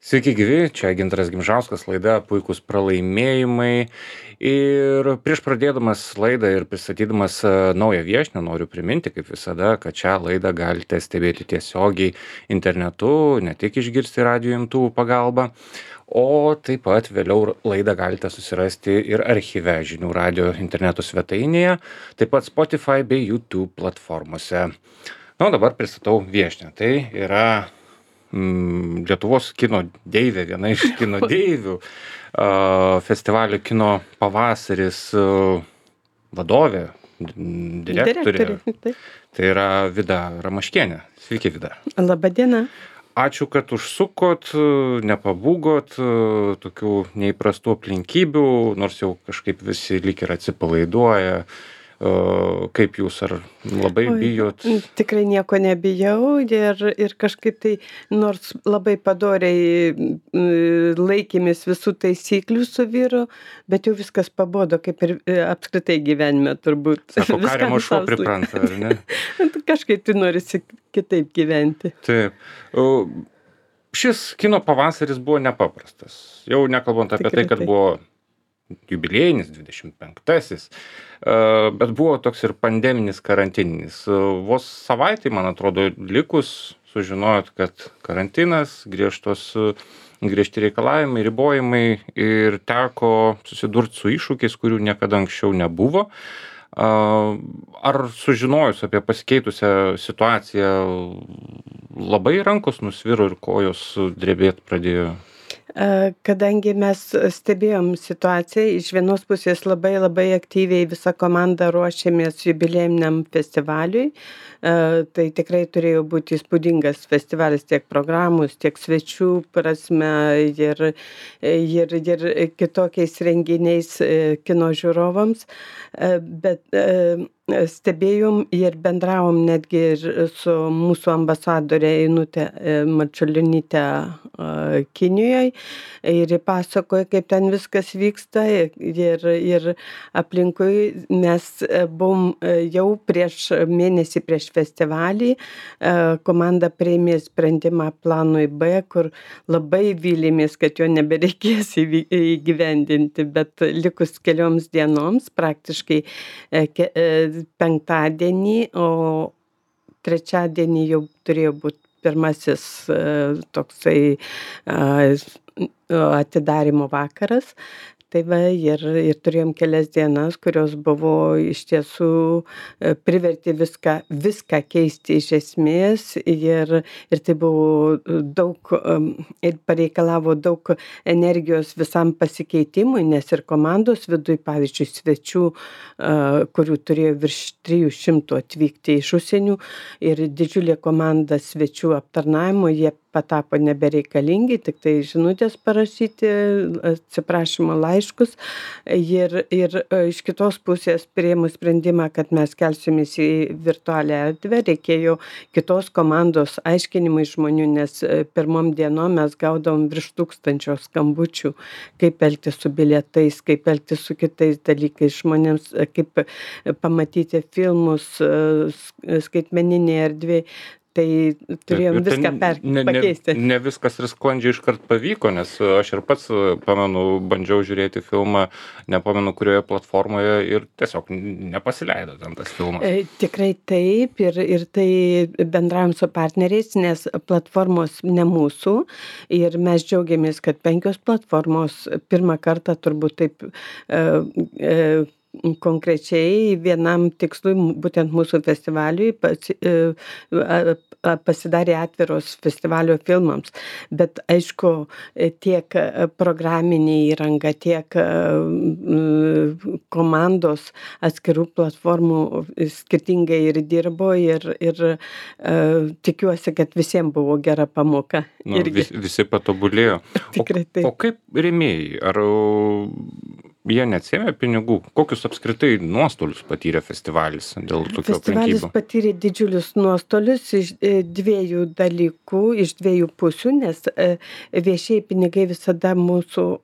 Sveiki gyvi, čia Gintaras Gimžauskas, laida Puikūs pralaimėjimai. Ir prieš pradėdamas laidą ir pristatydamas naują viešnią noriu priminti, kaip visada, kad šią laidą galite stebėti tiesiogiai internetu, ne tik išgirsti radijo imtuvų pagalba, o taip pat vėliau laidą galite susirasti ir archyve žinių radijo interneto svetainėje, taip pat Spotify bei YouTube platformose. Na, o dabar pristatau viešnią. Tai yra Lietuvos kino deivė, viena iš kino deivių, festivalio Kino pavasaris vadovė, direktorė. Tai yra Vida Ramaškienė. Sveiki, Vida. Labą dieną. Ačiū, kad užsukot, nepabūgot tokių neįprastų aplinkybių, nors jau kažkaip visi lyg ir atsipalaiduoja. Kaip jūs, ar labai bijot? Tikrai nieko nebijau ir kažkaip tai, nors labai padoriai laikėmės visų taisyklių su vyru, bet jau viskas pabodo, kaip ir apskritai gyvenime turbūt. Sako, kariamo šuo pripranta, ar ne? Kažkaip tai norisi kitaip gyventi. Taip. Šis kino pavasaris buvo nepaprastas. Jau nekalbant apie tai, kad buvo jubiliejinis 25-asis, bet buvo toks ir pandeminis karantininis. Vos savaitį, man atrodo, likus sužinojot, kad karantinas, griežti reikalavimai, ribojimai ir teko susidurti su iššūkiais, kurių niekada anksčiau nebuvo. Ar sužinojus apie pasikeitusią situaciją labai rankos nusviro ir kojos drebėt pradėjo? Kadangi mes stebėjom situaciją, iš vienos pusės labai aktyviai visa komanda ruošėmės jubiliejiniam festivaliui, tai tikrai turėjo būti įspūdingas festivalis tiek programos, tiek svečių prasme ir kitokiais renginiais kino žiūrovams, bet stebėjom ir bendravom netgi ir su mūsų ambasadore Einute Marčiulionyte Kinijoje ir pasakoja, kaip ten viskas vyksta ir aplinkui mes buvom jau mėnesį prieš festivalį, komanda priėmė sprendimą planui B, kur labai vylėmės, kad jo nebereikės įgyvendinti, bet likus kelioms dienoms, praktiškai penktadienį, o trečiadienį jau turėjo būti pirmasis toksai atidarymo vakaras. Tai va, ir turėjom kelias dienas, kurios buvo iš tiesų privertė viską keisti iš esmės ir tai buvo daug ir pareikalavo daug energijos visam pasikeitimui, nes ir komandos viduj, pavyzdžiui, svečių, kurių turėjo virš 300 atvykti iš užsienių ir didžiulė komanda svečių aptarnavimo, jie patapo nebereikalingi, tik tai žinutės parašyti, atsiprašymo laiškus ir iš kitos pusės priėmus sprendimą, kad mes kelsimės į virtualią erdvę, reikėjo kitos komandos aiškinimai žmonių, nes pirmom dienom mes gaudavom virš 1000 skambučių, kaip elgtis su bilietais, kaip elgtis su kitais dalykais žmonėms, kaip pamatyti filmus skaitmeninėje erdvėje. Tai turėjom viską pakeisti. Ne viskas ir sklandžiai iškart pavyko, nes aš ir pats pamenu, bandžiau žiūrėti filmą, nepamenu kurioje platformoje ir tiesiog nepasileido ten tas filmas. Tikrai taip ir tai bendravom su partneriais, nes platformos ne mūsų ir mes džiaugiamės, kad 5 platformos pirmą kartą turbūt taip konkrečiai vienam tikslui, būtent mūsų festivaliui, pasidarė atviros festivalio filmams. Bet aišku, tiek programinė įranga, tiek komandos atskirų platformų skirtingai ir dirbo ir tikiuosi, kad visiems buvo gera pamoka. Visi patobulėjo. Tikrai taip. O kaip rėmėjai? Ar jie neatsėmė pinigų? Kokius apskritai nuostolius patyrė festivalis dėl tokių aplinkybių? Festivalis patyrė didžiulius nuostolius iš 2 dalykų, iš 2 pusių, nes viešieji pinigai visada mūsų,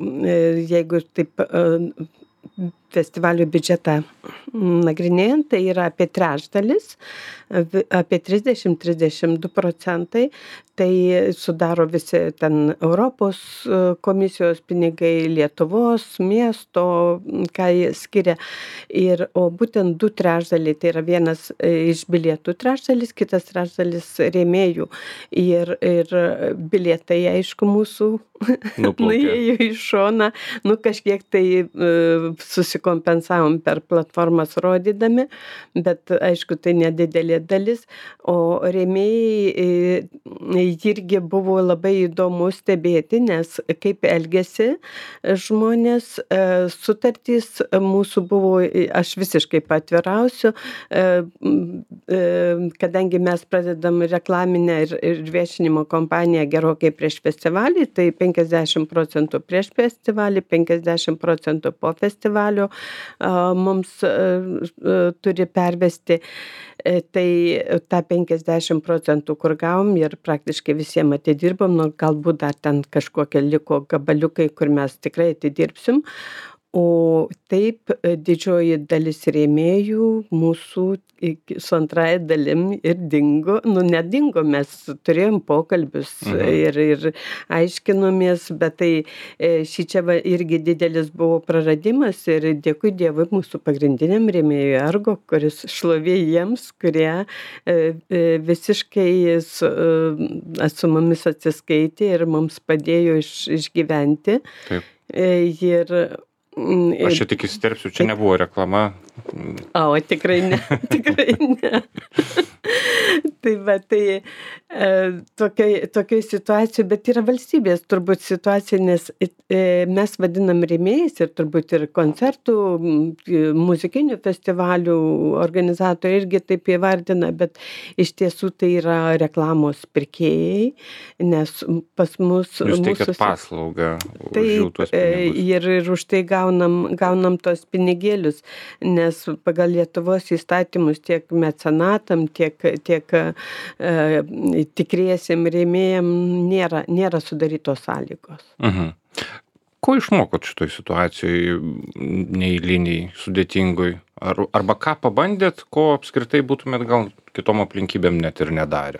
jeigu taip festivalio biudžetą nagrinėjant, tai yra apie trečdalis, apie 30-32%. tai sudaro visi ten Europos komisijos pinigai, Lietuvos, miesto, ką jie skiria. O būtent 2/3, tai yra vienas iš bilietų trečdalis, kitas trečdalis rėmėjų. Ir bilietai, aišku, mūsų Nuplaukė. nuėjo į šoną, kažkiek tai susikompensavom per platformas rodydami, bet aišku, tai nedidelė dalis. O rėmėjai irgi buvo labai įdomu stebėti, nes kaip elgėsi žmonės, sutartys mūsų buvo, aš visiškai paatvirausiu, kadangi mes pradedam reklaminę ir viešinimo kampaniją gerokai prieš festivalį, tai 50% prieš festivalį, 50% po festivalio mums turi pervesti. Tai tą 50%, kur gavom ir praktiškai visiem atidirbom, galbūt dar ten kažkokie liko gabaliukai, kur mes tikrai atidirbsim. O taip didžioji dalis rėmėjų mūsų su antrąja dalim ir dingo. Nedingo, mes turėjom pokalbius ir aiškinomės, bet tai šičia irgi didelis buvo praradimas ir dėkui Dievui mūsų pagrindiniam rėmėjui Ergo, kuris šlovė jiems, kurie visiškai su mumis atsiskaitė ir mums padėjo išgyventi. Taip. Aš čia tik įsiterpsiu, čia nebuvo reklama. Tikrai ne, tikrai ne. Tokioj situacijoj, bet yra valstybės turbūt situacija, nes mes vadinam rėmėjais ir turbūt ir koncertų, muzikinių festivalių organizatoriai irgi taip įvardina, bet iš tiesų tai yra reklamos pirkėjai, nes pas mus... Jūs teikiat paslaugą už jų tuos pinigus. Ir už tai gaunam tos pinigėlius, nes pagal Lietuvos įstatymus tiek mecenatam, tiek tikriesiem rėmėjam nėra sudarytos sąlygos. Ko išmokot šitoj situacijoj neeiliniai, sudėtingoj? Arba ką pabandėt, ko apskritai būtumėt gal kitom aplinkybėm net ir nedarę?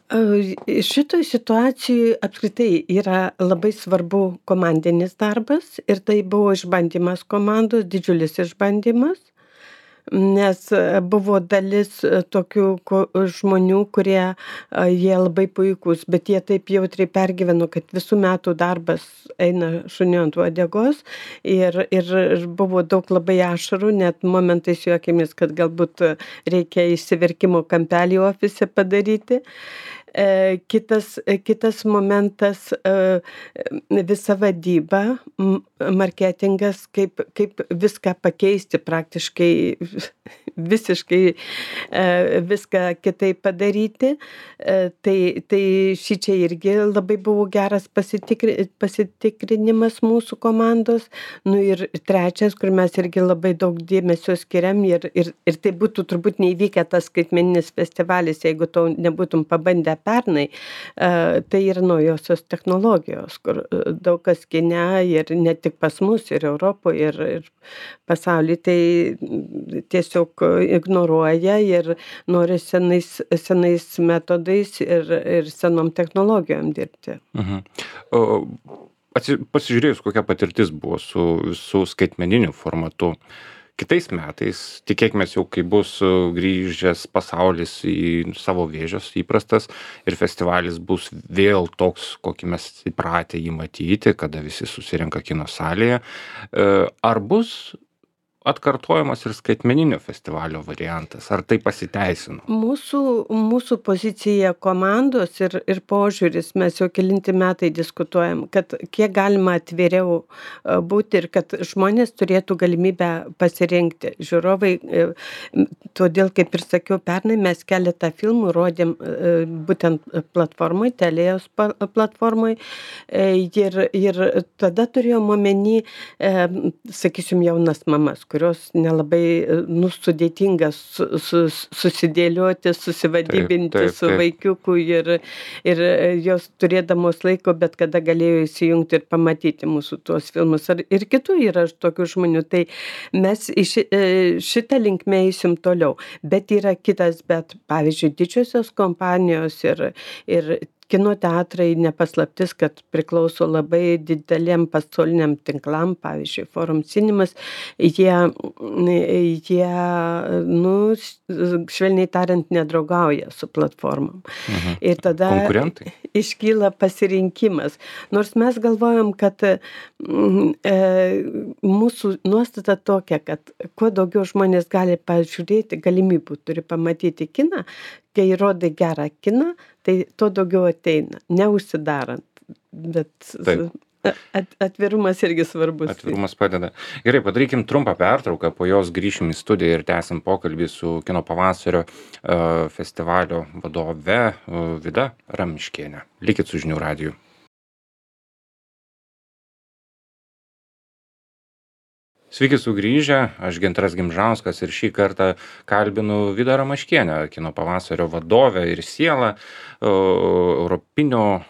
Šitoj situacijoj apskritai yra labai svarbu komandinis darbas ir tai buvo išbandymas komandos, didžiulis išbandymas, nes buvo dalis tokių žmonių, kurie jie labai puikūs, bet jie taip jautriai pergyveno, kad visų metų darbas eina šuniu ant uodegos ir buvo daug labai ašarų, net momentais juokėmės, kad galbūt reikia išsiverkimo kampelį ofise padaryti. Kitas momentas, visa vadyba, marketingas, kaip viską pakeisti praktiškai, visiškai viską kitaip padaryti. Tai šičia irgi labai buvo geras pasitikrinimas mūsų komandos. Ir trečias, kur mes irgi labai daug dėmesio skiriam ir tai būtų turbūt neįvykę tas skaitmeninis festivalis, jeigu to nebūtum pabandę pernai, tai yra naujosios technologijos, kur daug kas kine ir ne tik pas mus, ir Europoje, ir pasaulyje tai tiesiog ignoruoja ir nori senais metodais ir senom technologijom dirbti. Pasižiūrėjus, kokia patirtis buvo su skaitmeniniu formatu. Kitais metais, tikėkimės jau, kai bus grįžęs pasaulis į savo vėžes įprastas ir festivalis bus vėl toks, kokį mes įpratę jį matyti, kada visi susirenka kino salėje. Ar bus atkartojamas ir skaitmeninio festivalio variantas? Ar tai pasiteisino? Mūsų pozicija komandos ir požiūris, mes jau kelinti metai diskutuojam, kad kiek galima atviriau būti ir kad žmonės turėtų galimybę pasirinkti. Žiūrovai, todėl, kaip ir sakiau, pernai mes keletą filmų rodėm būtent platformoj, Telėjos platformoj ir tada turėjom omeny, sakysim, jaunas mamas, kurios nelabai, sudėtinga susidėlioti, susivadybinti su taip. vaikiuku ir jos turėdamos laiko bet kada galėjo įsijungti ir pamatyti mūsų tuos filmus. Ir kitų yra tokių žmonių. Tai mes šitą linkmę eisim toliau. Bet yra kitas, bet pavyzdžiui, didžiosios kompanijos ir kino teatrai ne paslaptis, kad priklauso labai dideliem pasauliniam tinklam, pavyzdžiui, Forum Cinemas, jie, nu, švelniai tariant, nedraugauja su platformom. Mhm. Ir tada Konkurentai? iškyla pasirinkimas. Nors mes galvojam, kad mūsų nuostata tokia, kad kuo daugiau žmonės gali pažiūrėti, galimybių turi pamatyti kiną, kai rodai gerą kiną, tai tuo daugiau ateina, neužsidarant. Bet atvirumas irgi svarbus. Atvirumas padeda. Gerai, padarykim trumpą pertrauką, po jos grįšim į studiją ir tęsim pokalbį su Kino pavasario festivalio vadove Vida Ramiškiene. Likit su Žinių radiju. Sveiki sugrįžę, aš Gintaras Gimžauskas ir šį kartą kalbinu Vidą Ramaškienę, Kino pavasario vadovę ir sielą, europinio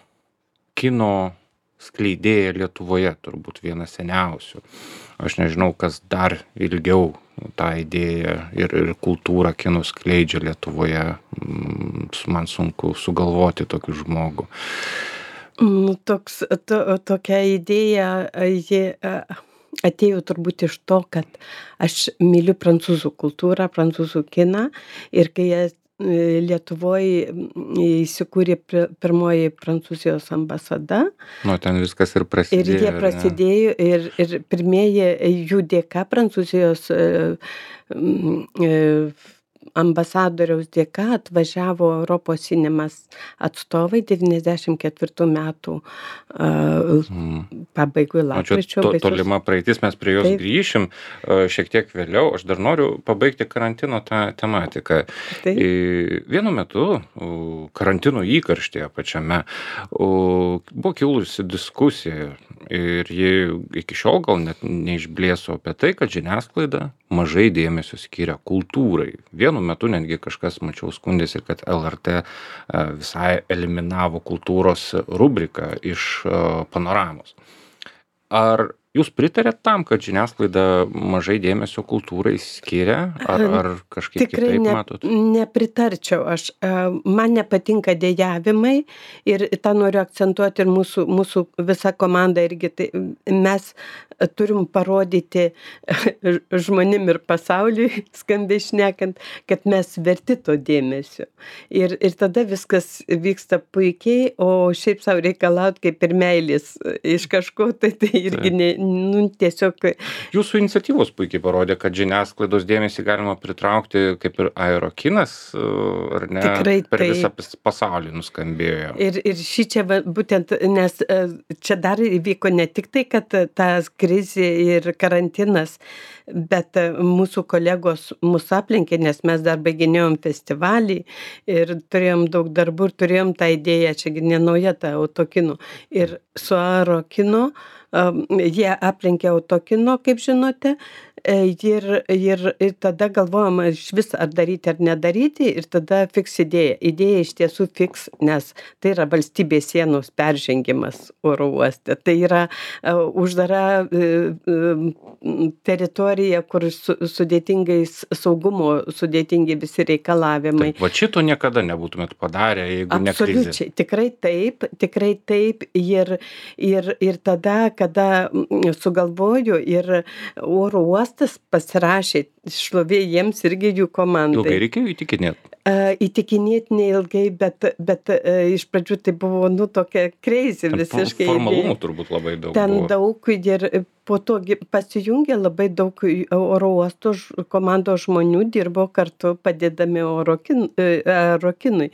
kino skleidėja Lietuvoje, turbūt viena seniausių. Aš nežinau, kas dar ilgiau tą idėją ir kultūrą kino skleidžia Lietuvoje. Man sunku sugalvoti tokį žmogų. Tokia idėja, ji atėjo turbūt iš to, kad aš myliu prancūzų kultūrą, prancūzų kiną ir kai Lietuvoje įsikūrė pirmoji Prancūzijos ambasada. Nu, ten viskas ir prasidėjo. Ir jie prasidėjo ir pirmieji jų dėka Prancūzijos ambasadoriaus dėka atvažiavo Europos Cinemas atstovai 94 metų pabaigoj lapkričio. Čia tolima praeitis, mes prie jos grįšim šiek tiek vėliau. Aš dar noriu pabaigti karantino tą tematiką. Vienu metu karantino įkarštyje pačiame buvo kilusi diskusija ir ji iki šiol gal net neišblėso apie tai, kad žiniasklaida mažai dėmesio skiria kultūrai. Vienu metu netgi kažkas, mačiau, skundėsi, kad LRT visai eliminavo kultūros rubriką iš panoramos. Ar jūs pritarėt tam, kad žiniasklaida mažai dėmesio kultūrai skiria? Ar kažkaip kitaip matot? Tikrai nepritarčiau. Man nepatinka dejavimai ir tą noriu akcentuoti ir mūsų visa komanda irgi. Tai mes turim parodyti žmonėm ir pasauliui, skambiai šnekant, kad mes verti to dėmesio. Ir tada viskas vyksta puikiai, o šiaip savo reikalaut kaip ir meilės iš kažko, tai irgi tiesiog. Jūsų iniciatyvos puikiai parodė, kad žiniasklaidos dėmesį galima pritraukti kaip ir aerokinas, ar ne? Tikrai per visą pasaulį nuskambėjo. Ir šičia būtent, nes čia dar įvyko ne tik tai, kad tas krizė ir karantinas, bet mūsų kolegos mus aplinkė, nes mes dar baiginėjom festivalį ir turėjom daug darbų ir turėjom tą idėją, čia ne nauja ta autokino. Ir su aerokino jie aplinkė autokino, kaip žinote, ir tada galvojama iš vis ar daryti ar nedaryti ir tada fiks idėja. Idėja iš tiesų fiks, nes tai yra valstybės sienos peržengimas oro uoste. Tai yra uždara teritorija, kur sudėtingi visi reikalavimai. Taip, va šito niekada nebūtumėt padarę, jeigu ne krizė. Absoliučiai, tikrai taip. Ir tada, kada sugalvoju ir oro uostas pasirašė, šlovė jiems irgi jų komandai. Ilgai reikėjo įtikinėti? Įtikinėti neilgai, bet iš pradžių tai buvo, tokia crazy visiškai. Formalumų turbūt labai daug ten buvo. Daug ir po to pasijungė labai daug oro uosto komandos žmonių, dirbo kartu padėdami aerokinui.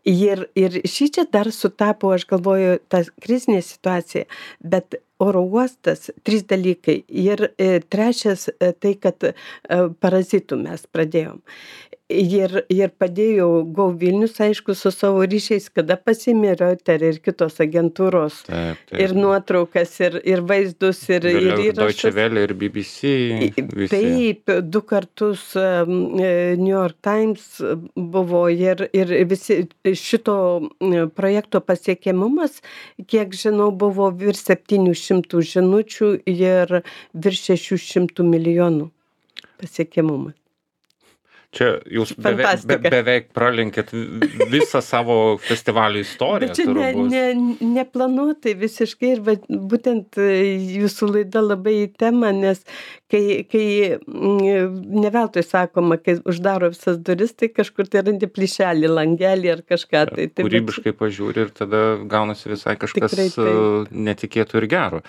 Ir šičia dar sutapo, aš galvoju, ta krizinė situacija, bet oro uostas, 3 dalykai. Ir trečias tai, kad parazitų mes pradėjom. ir padėjo Go Vilnius, aišku, su savo ryšiais, kada pasiėmė Reuter ir kitos agentūros Taip, ir taip. nuotraukas, ir vaizdus, ir Vėliau Deutsche įrašus. Welle ir BBC visi. Taip, 2 kartus New York Times buvo ir visi šito projekto pasiekiamumas, kiek žinau, buvo virš 700 žinučių ir virš 600 milijonų pasiekiamumas. Čia jūs Fantastika. beveik pralenkėt visą savo festivalio istoriją. Bet čia neplanuotai visiškai ir būtent jūsų laida labai į temą, nes kai ne veltui sakoma, kai uždaro visas duris, tai kažkur tai randi plyšelį, langelį ar kažką. Tai kūrybiškai pažiūri ir tada gaunasi visai kažkas netikėtų ir gero.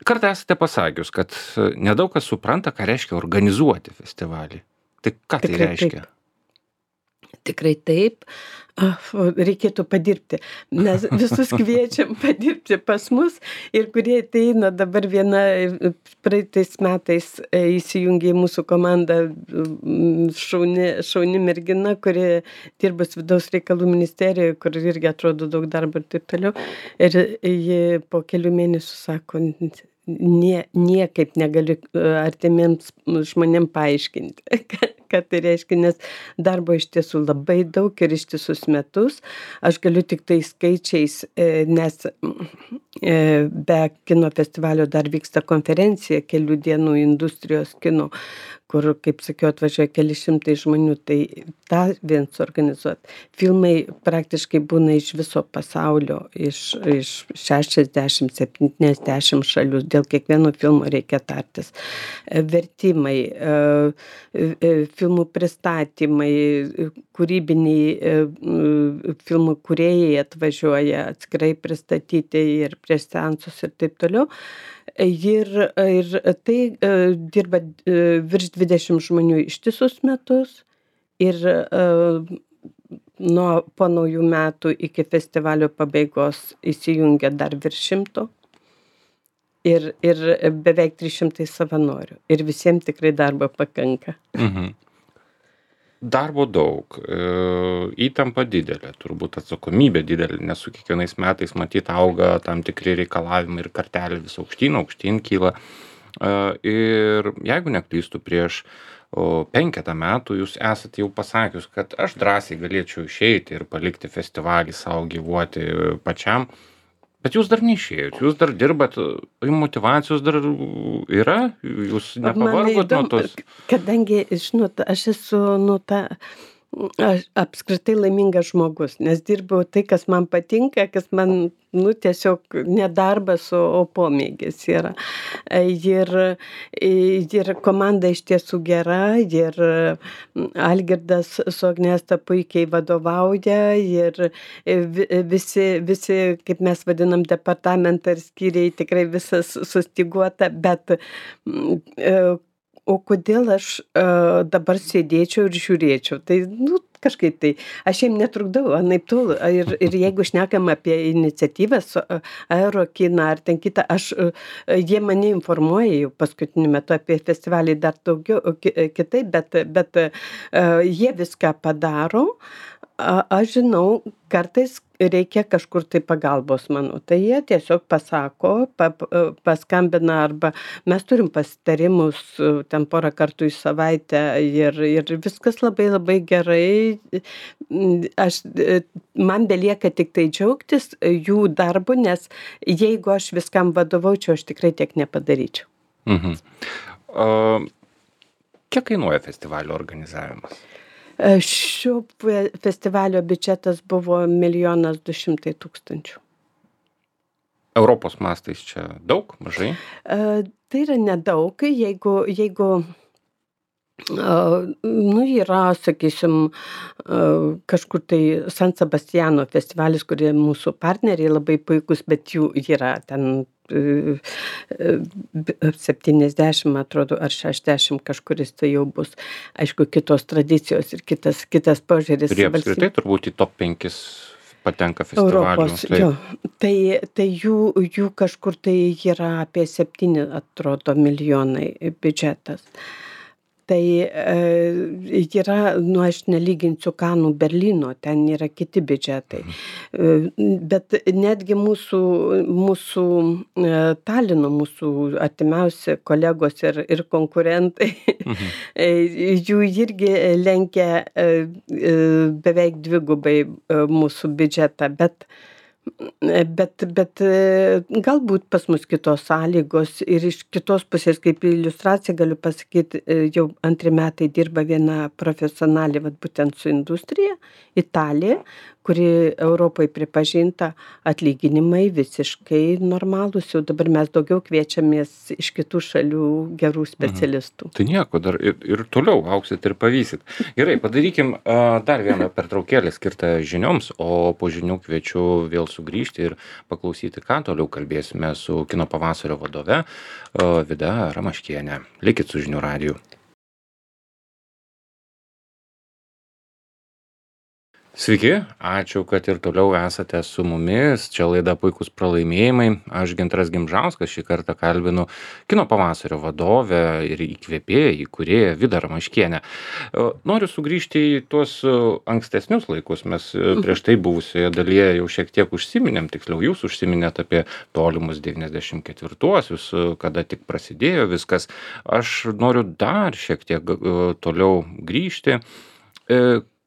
Kartą esate pasakius, kad nedaug kas supranta, ką reiškia organizuoti festivalį. Tai ką tai reiškia? Tikrai taip. Reikėtų padirbti. Mes visus kviečiam padirbti pas mus ir kurie ateina dabar viena praeitais metais įsijungė į mūsų komandą šauni mergina, kuri dirbus vidaus reikalų ministerijoje, kur irgi atrodo daug darbo ir taip toliau. Ir ji po kelių mėnesių sako, niekaip negaliu artimiems žmonėm paaiškinti, ką tai reiškia, nes darbo iš tiesų labai daug ir ištisus metus. Aš galiu tik tai skaičiais, nes be kino festivalio dar vyksta konferencija kelių dienų industrijos kino, kur, kaip sakiau, atvažiuoja keli šimtai žmonių, tai tą vien suorganizuot. Filmai praktiškai būna iš viso pasaulio, iš 60-70 šalių, dėl kiekvieno filmo reikia tartis. Vertimai, filmų pristatymai, kūrybiniai filmų kūrėjai atvažiuoja atskirai pristatyti ir prieš seansus ir taip toliau. Ir tai dirba virš 20 žmonių ištisus metus ir po naujų metų iki festivalio pabaigos įsijungia dar virš 100 ir beveik 300 savanorių. Ir visiems tikrai darbo pakanka. Darbo daug, įtampa didelė, turbūt atsakomybė didelė, nes su kiekvienais metais matyt auga tam tikri reikalavimai ir kartelė vis aukštyn kyla. Ir jeigu neklystu, prieš 5 metų jūs esate jau pasakius, kad aš drąsiai galėčiau išeiti ir palikti festivalį savo gyvuoti pačiam. Bet jūs dar neišėjot, jūs dar dirbat, motyvacijos dar yra, jūs nepavargot nuo tos. Kadangi, žinot, aš esu aš apskritai laimingas žmogus, nes dirbau tai, kas man patinka, kas man, tiesiog nedarbas, o pomėgis yra. Ir komanda iš tiesų gera, ir Algirdas su Agnesta puikiai vadovauja, ir visi, kaip mes vadinam, departamentą ir skyriai, tikrai visas sustyguota, bet o kodėl aš dabar sėdėčiau ir žiūrėčiau? Tai, kažkaip tai, aš jiem netrukdau, anaiptol. Ir jeigu šnekam apie iniciatyvas, aerokiną ar ten kitą, jie mane informuoja jau paskutiniu metu apie festivalį dar daugiau kitaip, bet jie viską padaro. Aš žinau, kartais reikia kažkur tai pagalbos mano. Tai jie tiesiog pasako, paskambina arba mes turim pasitarimus ten porą kartų į savaitę ir viskas labai labai gerai. Man belieka tik tai džiaugtis jų darbu, nes jeigu aš viskam vadovaučiau, aš tikrai tiek nepadaryčiau. Kiek kainuoja festivalio organizavimas? Šio festivalio biudžetas buvo 1 200 000. Europos mastais čia daug, mažai? Tai yra nedaug, jeigu yra, sakysim, kažkur tai San Sebastiano festivalis, kurie mūsų partneriai labai puikus, bet jų yra ten 70, atrodo, ar 60 kažkuris tai jau bus. Aišku, kitos tradicijos ir kitas požiūris. Ir apskritai turbūt į top 5 patenka festivalių. Europos, jo. Tai jų kažkur tai yra apie 7, atrodo, milijonai biudžetas. Tai yra, nu, aš nelyginsiu Kanų, Berlyno, ten yra kiti biudžetai. Bet netgi mūsų Talino, mūsų artimiausi kolegos ir konkurentai, jų irgi lenkia beveik dvigubai mūsų biudžetą, bet galbūt pas mus kitos sąlygos ir iš kitos pusės, kaip iliustraciją galiu pasakyt, jau 2 metai dirba viena profesionalė, vat būtent su industrija, Italija, kuri Europoj pripažinta, atlyginimai visiškai normalūs, jau dabar mes daugiau kviečiamės iš kitų šalių gerų specialistų. Tai nieko, dar ir toliau auksit ir pavysit. Gerai, padarykim dar vieną pertraukėlę skirtą žinioms, o po žinių kviečiu vėl sugrįžti ir paklausyti, ką toliau kalbėsime su Kino pavasario vadove Vida Ramaškiene. Likit su Žinių radiju. Sveiki, ačiū, kad ir toliau esate su mumis. Čia laida Puikūs pralaimėjimai. Aš Gintaras Gimžauskas šį kartą kalbinu Kino pavasario vadovę ir įkvėpėją, įkūrėją Vidą Ramaškienę. Noriu sugrįžti į tuos ankstesnius laikus. Mes prieš tai buvusioje dalyje jau šiek tiek užsiminėm, tiksliau jūs užsiminėt apie tolimus 94-uosius, kada tik prasidėjo viskas. Aš noriu dar šiek tiek toliau grįžti.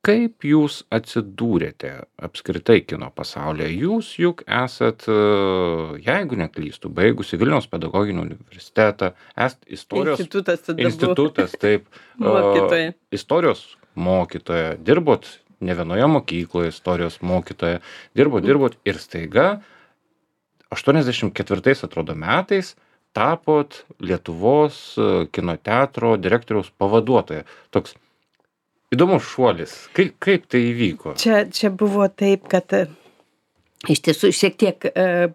Kaip jūs atsidūrėte apskritai kino pasaulyje? Jūs juk esat, jeigu neklystu, baigusi Vilniaus pedagoginį universitetą, esat institutas, taip, Mokytoja. Istorijos mokytoja, dirbot ne vienoje mokykloje, istorijos mokytoja, dirbot ir staiga 84 atrodo metais tapot Lietuvos kino teatro direktoriaus pavaduotoja. Toks įdomus šuolis. Kaip tai įvyko? Čia buvo taip, kad iš tiesų šiek tiek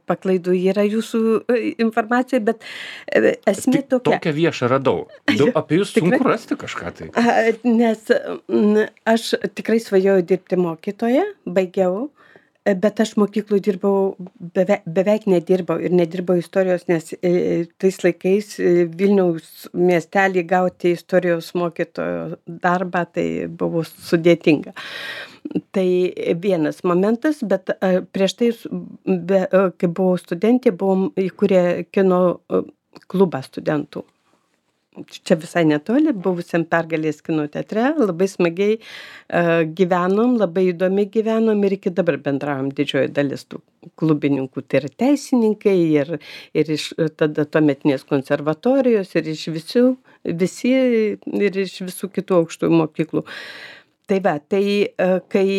paklaidų yra jūsų informacija, bet esmė tokia. Tokią viešą radau. Apie jūs sunku rasti kažką tai. Nes aš tikrai svajojau dirbti mokytoja, baigiau, bet aš mokykloj dirbau, beveik nedirbau ir nedirbau istorijos, nes tais laikais Vilniaus miestelį gauti istorijos mokytojo darbą, tai buvo sudėtinga. Tai vienas momentas, bet prieš tai, kai buvau studentė, buvom įkūrę kino klubą studentų. Čia visai netoli, buvusiam Pergalės kino teatre, labai smagiai gyvenom, labai įdomi gyvenom ir iki dabar bendravom didžioji dalis tų klubininkų. Tai yra teisininkai ir iš tada tuometinės konservatorijos ir iš visi ir iš visų kitų aukštųjų mokyklų. Tai va, kai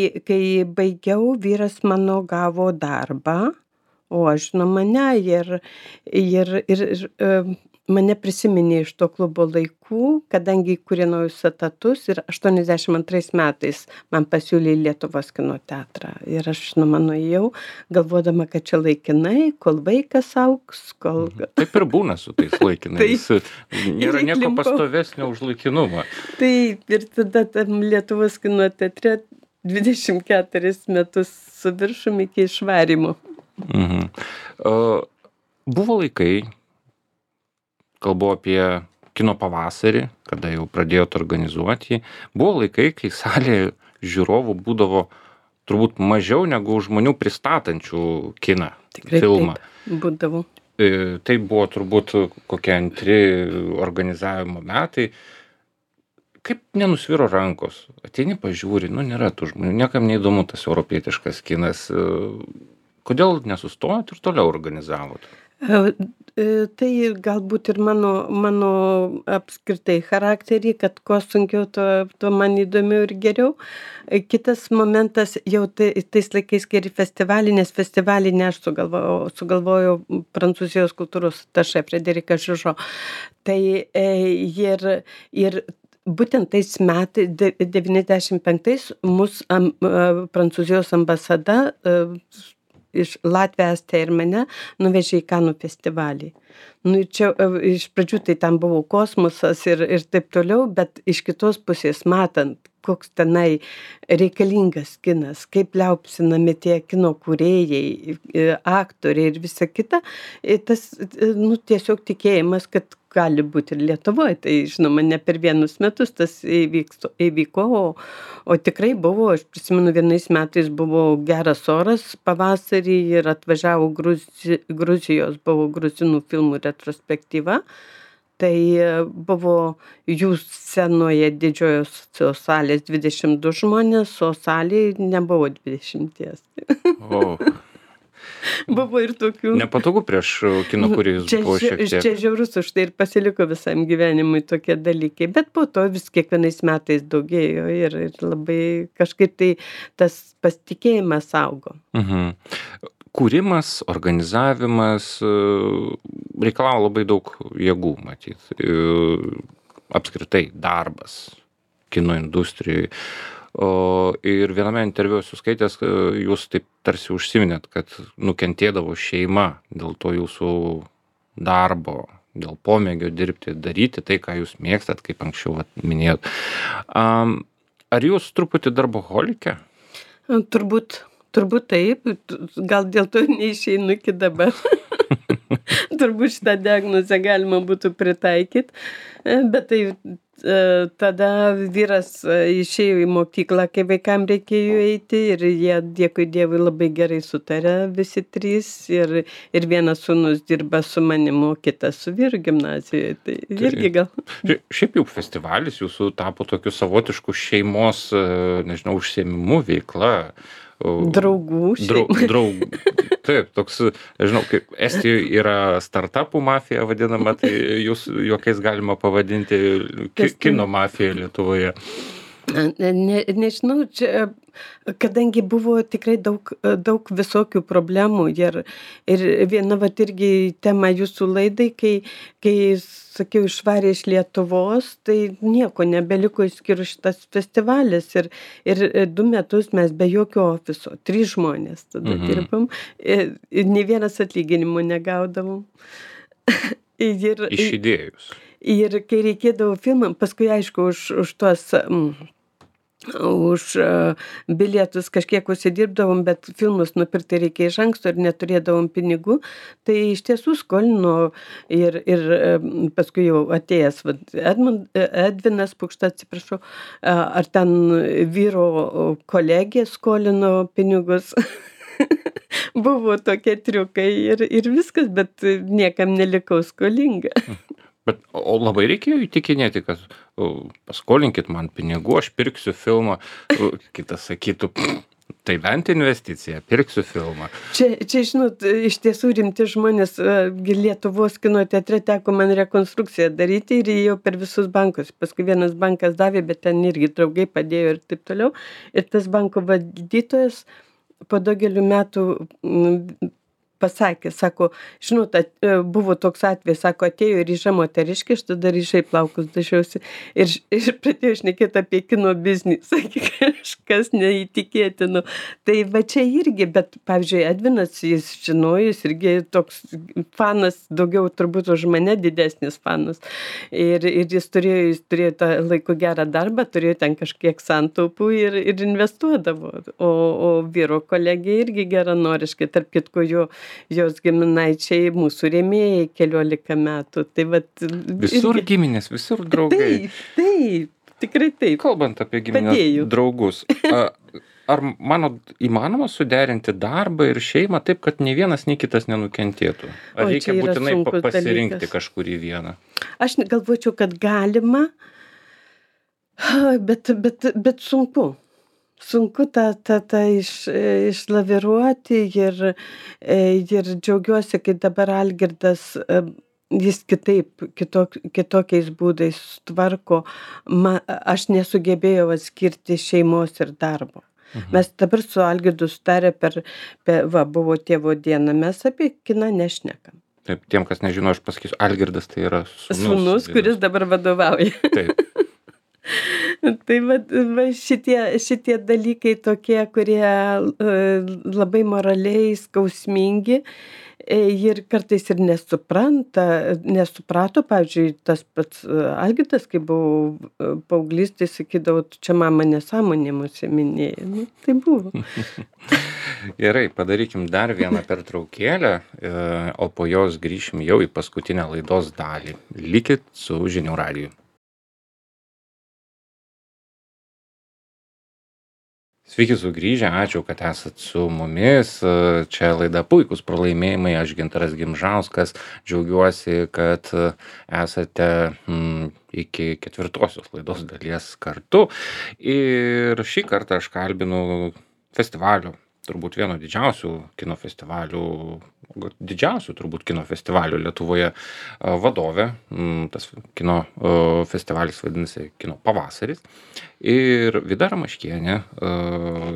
baigiau, vyras mano gavo darbą, o aš žinoma ne, ir mane prisiminė iš to klubo laikų, kadangi įkūrė naujus etatus ir 82 metais man pasiūlė Lietuvos kino teatrą. Ir aš, žinoma, nuėjau, galvodama, kad čia laikinai, kol vaikas augs, kol... Taip ir būna su tais laikinais. Nėra nieko pastovesnio už laikinumą. Taip, ir tada tam Lietuvos kino teatre 24 metus su viršum iki išvarimo. Buvo laikai, kalbu apie Kino pavasarį, kada jau pradėjot organizuoti jį, buvo laikai, kai salėje žiūrovų būdavo turbūt mažiau negu žmonių pristatančių kiną, filmą. Taip, būdavo. Tai buvo turbūt kokie 2 organizavimo metai. Kaip nenusviro rankos? Ateini pažiūri, nėra tų žmonių, niekam neįdomu tas europietiškas kinas. Kodėl nesustojot ir toliau organizavot? Tai galbūt ir mano apskritai charakterį, kad kuo sunkiau, tuo man įdomiau ir geriau. Kitas momentas, jau tais laikais geri festivalį, nes festivalį ne aš sugalvojau Prancūzijos kultūros atašė Frederikas Žužo. Tai ir būtent tais metais, 95, mus Prancūzijos ambasada iš Latvijos, Estiją ir mane nuvežė į Kanų festivalį. Ir čia iš pradžių tai tam buvo kosmosas ir taip toliau, bet iš kitos pusės matant, koks tenai reikalingas kinas, kaip liaupsinami tie kino kūrėjai, aktoriai ir visa kita, tas tiesiog tikėjimas, kad gali būt ir Lietuvoj. Tai žinoma, ne per vienus metus tas įvyko, o tikrai buvo, aš prisimenu, vienais metais buvo geras oras pavasarį ir atvažiavo Gruzijos, buvo gruzinų filmų retrospektyva. Tai buvo jų scenoje didžiosios salės 22 žmonės, o salėj nebuvo 20. O, Buvo ir tokių. nepatogu prieš kino kūrėjus buvo šiek tiek. Čia žiaurus už tai ir pasiliko visam gyvenimui tokie dalykai, bet po to vis kiekvienais metais daugėjo ir labai kažkaip tai tas pasitikėjimas augo. Mhm. Kūrimas, organizavimas reikalauja labai daug jėgų, matyt. Apskritai darbas kino industrijai. Ir viename interviu esu skaitęs, jūs taip tarsi užsiminėt, kad nukentėdavo šeima dėl to jūsų darbo, dėl pomėgio dirbti, daryti tai, ką jūs mėgstat, kaip anksčiau minėjot. Ar jūs truputį darboholikė? Turbūt taip, gal dėl to neišeinu iki dabar. Turbūt šitą diagnozę galima būtų pritaikyti, bet tai tada vyras išėjo į mokyklą, kai vaikam reikėjo eiti ir jie, dėkui Dievui, labai gerai sutarė visi trys ir vienas sūnus dirba su manimu, o kitas su vyru gimnazijoje. Tai irgi gal. Šiaip jau festivalis jūsų tapo tokiu savotišku šeimos, nežinau, užsiėmimu, veikla. Draugų. Taip, toks, žinau, kaip Estijoje yra startupų mafija vadinama, tai jūs juokais galima pavadinti kino mafija Lietuvoje. Nežinau, čia, kadangi buvo tikrai daug visokių problemų ir viena vat irgi tema jūsų laidai, kai sakiau, išvarė iš Lietuvos, tai nieko nebeliko išskyrus šitas festivalis ir 2 metus mes be jokio ofiso, 3 žmonės tada dirbam ir nei vienas atlyginimų negaudavom. Iš idėjus. Ir kai reikėdavo filmam, paskui aišku, už tuos už bilietus kažkiek užsidirbdavom, bet filmus nupirkti reikia iš anksto ir neturėdavom pinigų, tai iš tiesų skolino ir paskui jau atėjęs Edvinas Pukšta, atsiprašau, ar ten vyro kolegė skolino pinigus. Buvo tokie triukai ir viskas, bet niekam nelikau skolinga. O labai reikėjo įtikinėti, kad paskolinkit man pinigų, aš pirksiu filmą, kitas sakytų, tai bent investicija, pirksiu filmą. Čia, žinot, iš tiesų rimti žmonės, Lietuvos kino teatre teko man rekonstrukciją daryti ir jau per visus bankus. Paskui vienas bankas davė, bet ten irgi draugai padėjo ir taip toliau. Ir tas banko valdytojas po daugelių metų pasakė, sako, žinot, buvo toks atvejis, sako, atėjo ryža moteriškė, aš tada ryžai plaukus dažiausi ir pradėjau šnekėti apie kino biznį, sakė, kažkas neįtikėtino. Tai va čia irgi, bet, pavyzdžiui, Edvinas, jis žinojo, jis irgi toks fanas, daugiau turbūt už mane didesnis fanas. Ir jis turėjo tą laiku gerą darbą, turėjo ten kažkiek santaupų ir investuodavo. O vyro kolegė irgi geranoriškai, tarp kitko jos giminaičiai mūsų rėmėjai 14 metų. Tai vat, visur irgi giminės, visur draugai. Taip, tikrai taip. Kalbant apie giminės draugus, ar manot įmanoma suderinti darbą ir šeimą taip, kad nei vienas, nei kitas nenukentėtų? Ar reikia būtinai pasirinkti kažkurį vieną? Aš galvočiau, kad galima, bet sunku. Sunku tą išlaviruoti ir džiaugiuosi, kai dabar Algirdas, jis kitokiais būdais tvarko. Aš nesugebėjau atskirti šeimos ir darbo. Mes dabar su Algirdu sutarę buvo tėvo diena, mes apie kiną nešnekam. Taip, tiem, kas nežino, aš pasakysiu, Algirdas tai yra sūnus, kuris dabar vadovauja. Taip. Tai va šitie dalykai tokie, kurie labai moraliai skausmingi Ir kartais ir nesuprato, pavyzdžiui, tas pats Algirdas, kai buvau paauglys, tai sakydavo, tu čia mama nesąmonėm užsiiminėji. Nu, tai buvo. Gerai, padarykim dar vieną pertraukėlę, o po jos grįšim jau į paskutinę laidos dalį. Likit su žinių radiju. Sveiki sugrįžę, ačiū, kad esat su mumis. Čia laida Puikūs pralaimėjimai, aš Gintaras Gimžauskas. Džiaugiuosi, kad esate iki 4-osios laidos dalies kartu. Ir šį kartą aš kalbinu festivalio, turbūt vieno didžiausių kino festivalių, didžiausių turbūt kino festivalių Lietuvoje vadovę. Tas kino festivalis vadinasi Kino pavasaris. Ir Vida Ramaškienė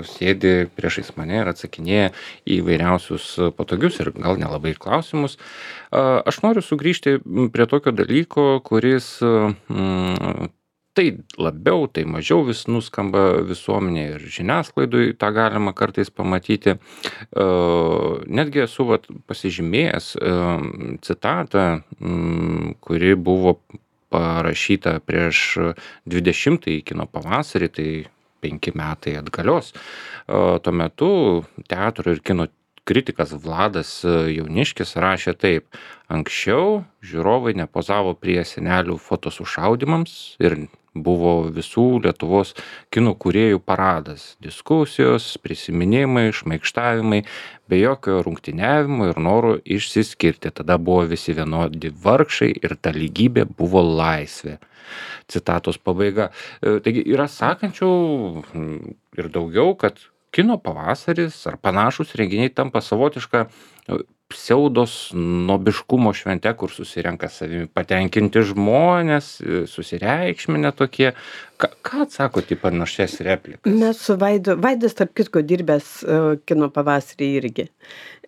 sėdi priešais mane ir atsakinėja į įvairiausius patogius ir gal nelabai klausimus. Aš noriu sugrįžti prie tokio dalyko, kuris tai labiau, tai mažiau vis nuskamba visuomenėje ir žiniasklaidoj tą galima kartais pamatyti. Netgi esu pasižymėjęs citatą, kuri buvo parašyta prieš 20-ąjį kino pavasarį, tai 5 metai atgalios. Tuo metu teatro ir kino kritikas Vladas Jauniškis rašė taip: anksčiau žiūrovai nepozavo prie senelių fotosušaudymams ir buvo visų Lietuvos kino kūrėjų paradas, diskusijos, prisiminimai, šmaikštavimai, be jokio rungtyniavimo ir noro išsiskirti. Tada buvo visi vienodi vargšai ir ta lygybė buvo laisvė. Citatos pabaiga. Taigi yra sakančių ir daugiau, kad kino pavasaris ar panašūs renginiai tampa savotiška pseudos nobiškumo švente, kur susirenka savimi patenkinti žmonės, susireikšminę tokie. Ką atsakot į panašias replikas? Mes su Vaidas, tarp kitko, dirbęs kino pavasarį irgi.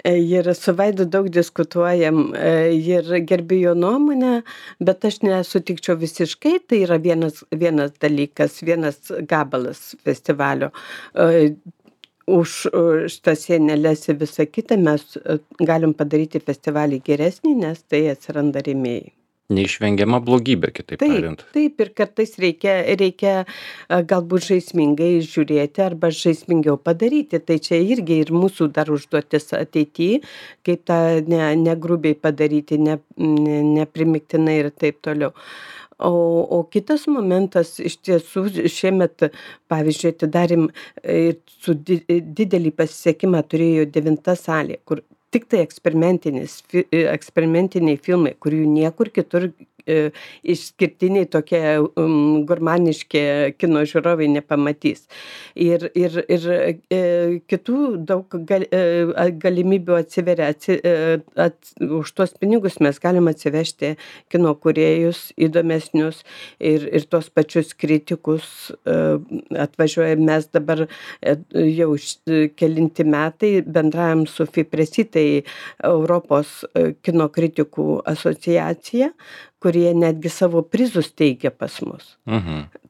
Ir su Vaidu daug diskutuojam ir gerbiu jo nuomonę, bet aš nesutikčiau visiškai. Tai yra vienas dalykas, vienas gabalas festivalio. Už šitas sieneles ir visą kitą mes galim padaryti festivalį geresnį, nes tai atsiranda rėmėjai. Neišvengiama blogybė, kitaip tariant. Taip, ir kartais reikia galbūt žaismingai žiūrėti arba žaismingiau padaryti. Tai čia irgi ir mūsų dar užduotis ateityje, kaip tą negrubiai padaryti, neprimiktinai ir taip toliau. O kitas momentas, iš tiesų, šiemet, pavyzdžiui, atidarėm su didelį pasisekimą turėjo 9 salė, kur tik tai eksperimentiniai filmai, kurių niekur kitur išskirtiniai tokie gurmaniški kino žiūrovai nepamatys. Ir kitų daug galimybių atsiveria. Už tuos pinigus mes galim atsivežti kino kūrėjus įdomesnius ir tuos pačius kritikus atvažiuoja. Mes dabar jau kelinti metai bendraujam su FIPRESI, tai Europos kino kritikų asociacija, kurie netgi savo prizus teikia pas mus.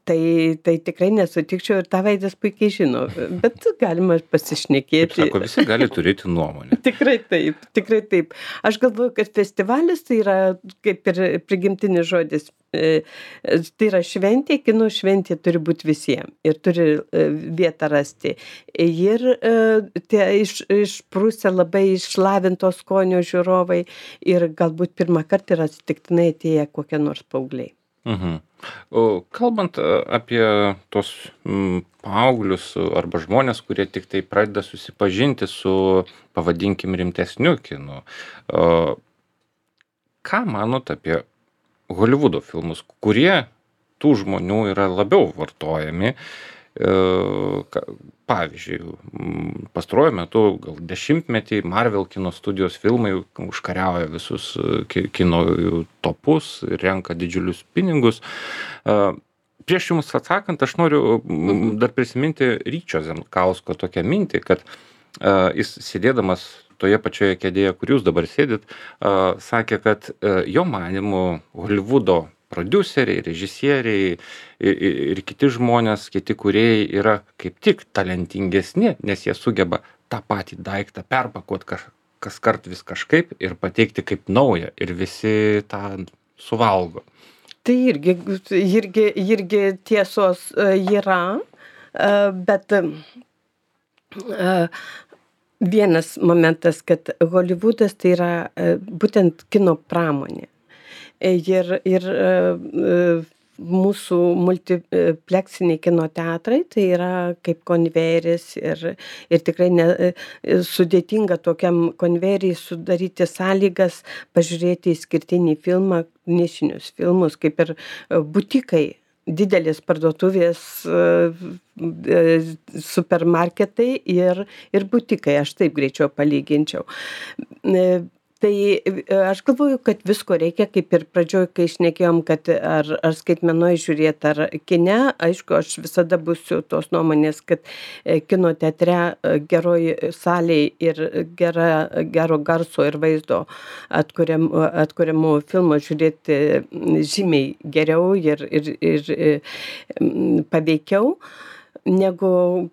Tai tikrai nesutikčiau ir tą Vaidas puikiai žino, bet galima pasišnekėti. Kaip sako, visi gali turėti nuomonę. Tikrai taip. Aš galvoju, kad festivalis tai yra kaip ir prigimtinis žodis. Tai yra šventė, kino šventė turi būti visiems ir turi vietą rasti. Ir tie išprusę labai išlavinto skonio žiūrovai ir galbūt pirmą kartą yra atsitiktinai atėję kokie nors paaugliai. Kalbant apie tos paauglius arba žmonės, kurie tik tai pradeda susipažinti su, pavadinkim, rimtesniu kinu, ką manot apie Holivudo filmus, kurie tų žmonių yra labiau vartojami? Pavyzdžiui, pastaruoju metu, gal 10-metį, Marvel kino studijos filmai užkariauja visus kino topus, renka didžiulius pinigus. Prieš jums atsakant, aš noriu dar prisiminti Ryčio Zemkausko tokią mintį, kad jis sėdėdamas toje pačioje kėdėje, kur jūs dabar sėdit, sakė, kad jo manymu Holivudo prodiuseriai, režisieriai ir kiti žmonės, kiti kūrėjai yra kaip tik talentingesni, nes jie sugeba tą patį daiktą perpakuoti kaskart vis kažkaip ir pateikti kaip naują ir visi tą suvalgo. Tai irgi tiesos yra, bet vienas momentas, kad Holivudas tai yra būtent kino pramonė. Ir mūsų multipleksiniai kino teatrai tai yra kaip konvejeris ir tikrai sudėtinga tokiam konvejeriui sudaryti sąlygas pažiūrėti išskirtinį filmą, nišinius filmus, kaip ir butikai. Didelės parduotuvės, supermarketai ir butikai, aš taip greičiau palyginčiau. Tai aš galvoju, kad visko reikia, kaip ir pradžioj, kai šnekėjom, kad ar skaitmenoj žiūrėt, ar kine, aišku, aš visada būsiu tos nuomonės, kad kino teatre geroj salėj ir gero garso ir vaizdo atkuriamų filmų žiūrėti žymiai geriau ir paveikiau negu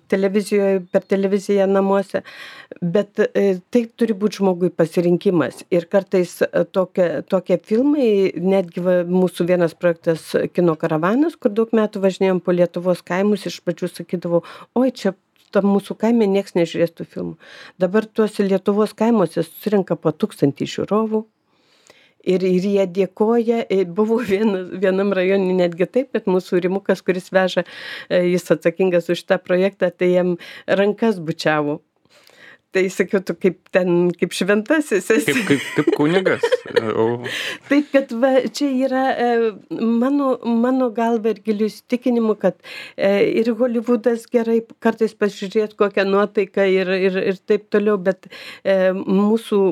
per televiziją namuose. Bet tai turi būti žmogui pasirinkimas. Ir kartais tokie filmai, netgi mūsų vienas projektas Kino karavanas, kur daug metų važinėjom po Lietuvos kaimus, iš pradžių sakydavau, oi, čia tam mūsų kaime nieks nežiūrės tų filmų. Dabar tuose Lietuvos kaimuose susirenka po 1000 žiūrovų. Ir jie dėkoja, buvo vienam rajone netgi taip, kad mūsų Rimukas, kuris veža, jis atsakingas už tą projektą, tai jam rankas bučiavo. Tai sakiau, tu kaip šventasis esi. Kaip kunigas. Taip, kad čia yra mano galva ir giliu įsitikinimu, kad ir Holivudas gerai kartais pasižiūrėti kokią nuotaiką ir taip toliau, bet mūsų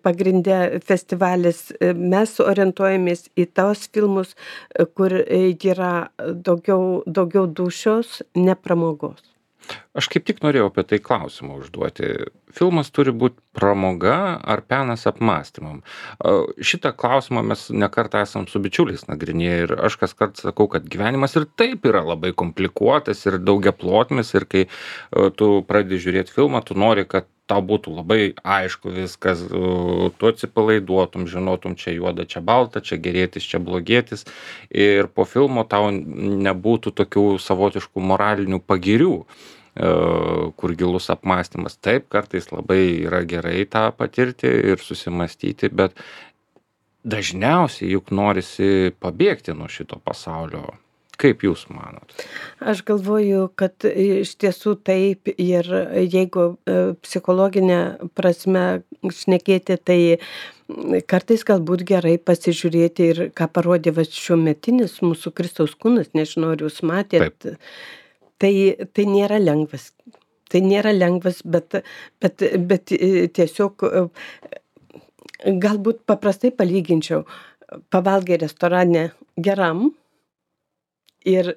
pagrindė festivalis, mes orientuojamės į tos filmus, kur yra daugiau dūšios, ne pramogos. Aš kaip tik norėjau apie tai klausimą užduoti. Filmas turi būti pramoga ar penas apmąstymam? Šitą klausimą mes nekartą esam su bičiuliais nagrinėję ir aš kaskart sakau, kad gyvenimas ir taip yra labai komplikuotas ir daugiaplotmis ir kai tu pradedi žiūrėti filmą, tu nori, kad tau būtų labai aišku viskas, tu atsipalaiduotum, žinotum, čia juoda, čia balta, čia gerėtis, čia blogėtis ir po filmo tau nebūtų tokių savotiškų moralinių pagirių, kur gilus apmąstymas. Taip, kartais labai yra gerai tą patirti ir susimąstyti, bet dažniausiai juk norisi pabėgti nuo šito pasaulio. Kaip jūs manot? Aš galvoju, kad iš tiesų taip ir jeigu psichologinė prasme šnekėti, tai kartais galbūt gerai pasižiūrėti ir ką parodė šiuometinis mūsų Kristaus kūnas, nežinau, ar jūs matėt. Tai nėra lengvas. Tai nėra lengvas, bet tiesiog galbūt paprastai palyginčiau. Pavalgai restorane geram, ir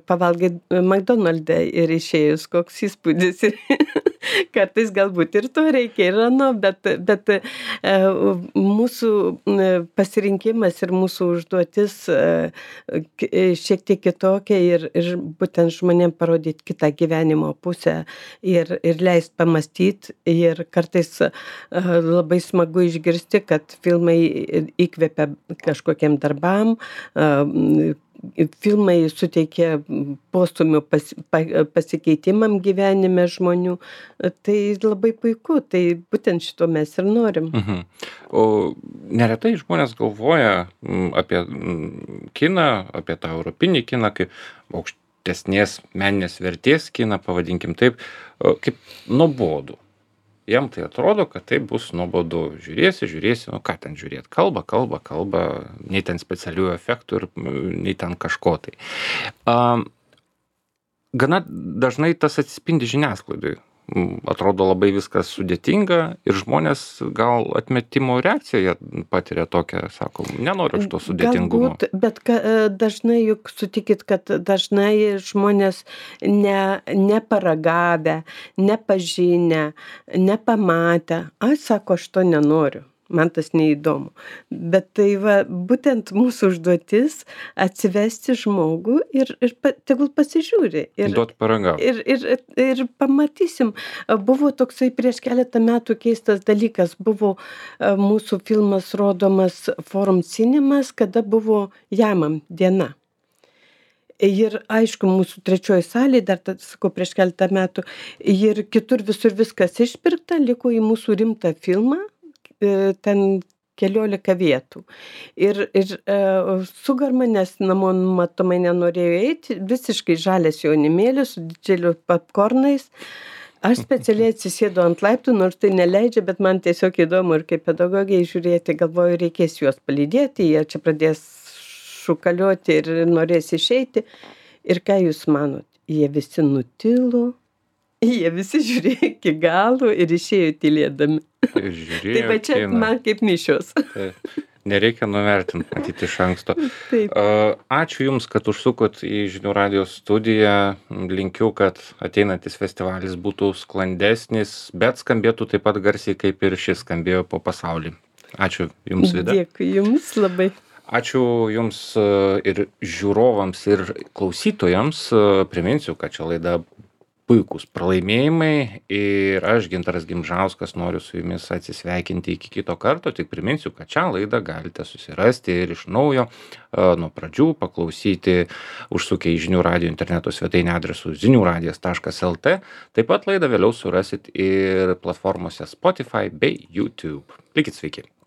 pavalgai McDonald'e ir išėjus, koks įspūdis. Kartais galbūt ir to reikia, ir ano, bet mūsų pasirinkimas ir mūsų užduotis šiek tiek kitokia ir būtent žmonėm parodyti kitą gyvenimo pusę ir leist pamąstyti. Ir kartais labai smagu išgirsti, kad filmai įkvepia kažkokiem darbam, filmai suteikia postūmių pasikeitimam gyvenime žmonių. Tai labai puiku, tai būtent šito mes ir norim. O neretai žmonės galvoja apie kiną, apie tą europinį kiną, kaip aukštesnės meninės vertės kiną, pavadinkim taip, kaip nuobodų. Jam tai atrodo, kad tai bus nuobodu. Žiūrėsi, nu ką ten žiūrėti, kalba, nei ten specialių efektų ir nei ten kažko tai. Gana dažnai tas atsispindi žiniasklaidai. Atrodo labai viskas sudėtinga ir žmonės gal atmetimo reakciją patiria tokią, sako, nenoriu šito sudėtingumo. Galbūt, bet dažnai juk sutikit, kad dažnai žmonės neparagavę, nepažinę, nepamatę, sako, aš to nenoriu. man tas neįdomu. Bet tai va, būtent mūsų užduotis atsivesti žmogų ir tegul pasižiūri. Duot paragauti. Ir pamatysim. Buvo toksai prieš keletą metų keistas dalykas. Buvo mūsų filmas rodomas Forum Cinemas, kada buvo Jamam diena. Ir aišku, mūsų trečioji salė, dar, sakau, prieš keletą metų, ir kitur visur viskas išpirkta, liko į mūsų rimtą filmą, ten 14 vietų. Ir Sugarma, nes namo matomai nenorėjo eiti, visiškai žalias jaunimėlis su didžiuliu popkornais. Aš specialiai atsisėdu ant laiptų, nors tai neleidžia, bet man tiesiog įdomu ir kaip pedagogiai žiūrėti, galvoju, reikės juos palydėti, jie čia pradės šukaliuoti ir norės išeiti. Ir ką jūs manot? Jie visi nutilo, jie visi žiūrėjo iki galo ir išėjo tylėdami. Žiūrėjo, Tai va čia man kaip mišios. Nereikia nuvertinti, matyti iš anksto. Taip. Ačiū Jums, kad užsukot į Žinių radijos studiją. Linkiu, kad ateinantis festivalis būtų sklandesnis, bet skambėtų taip pat garsiai, kaip ir šis skambėjo po pasaulį. Ačiū Jums, Vida. Dėkui Jums labai. Ačiū Jums ir žiūrovams, ir klausytojams. Priminsiu, kad čia laida Puikūs pralaimėjimai ir aš, Gintaras Gimžauskas, noriu su Jumis atsisveikinti iki kito karto. Tik priminsiu, kad šią laidą galite susirasti ir iš naujo nuo pradžių paklausyti užsukę į Žinių radijo interneto svetainę adresu ziniuradijas.lt. Taip pat laidą vėliau surasit ir platformose Spotify bei YouTube. Likit sveiki.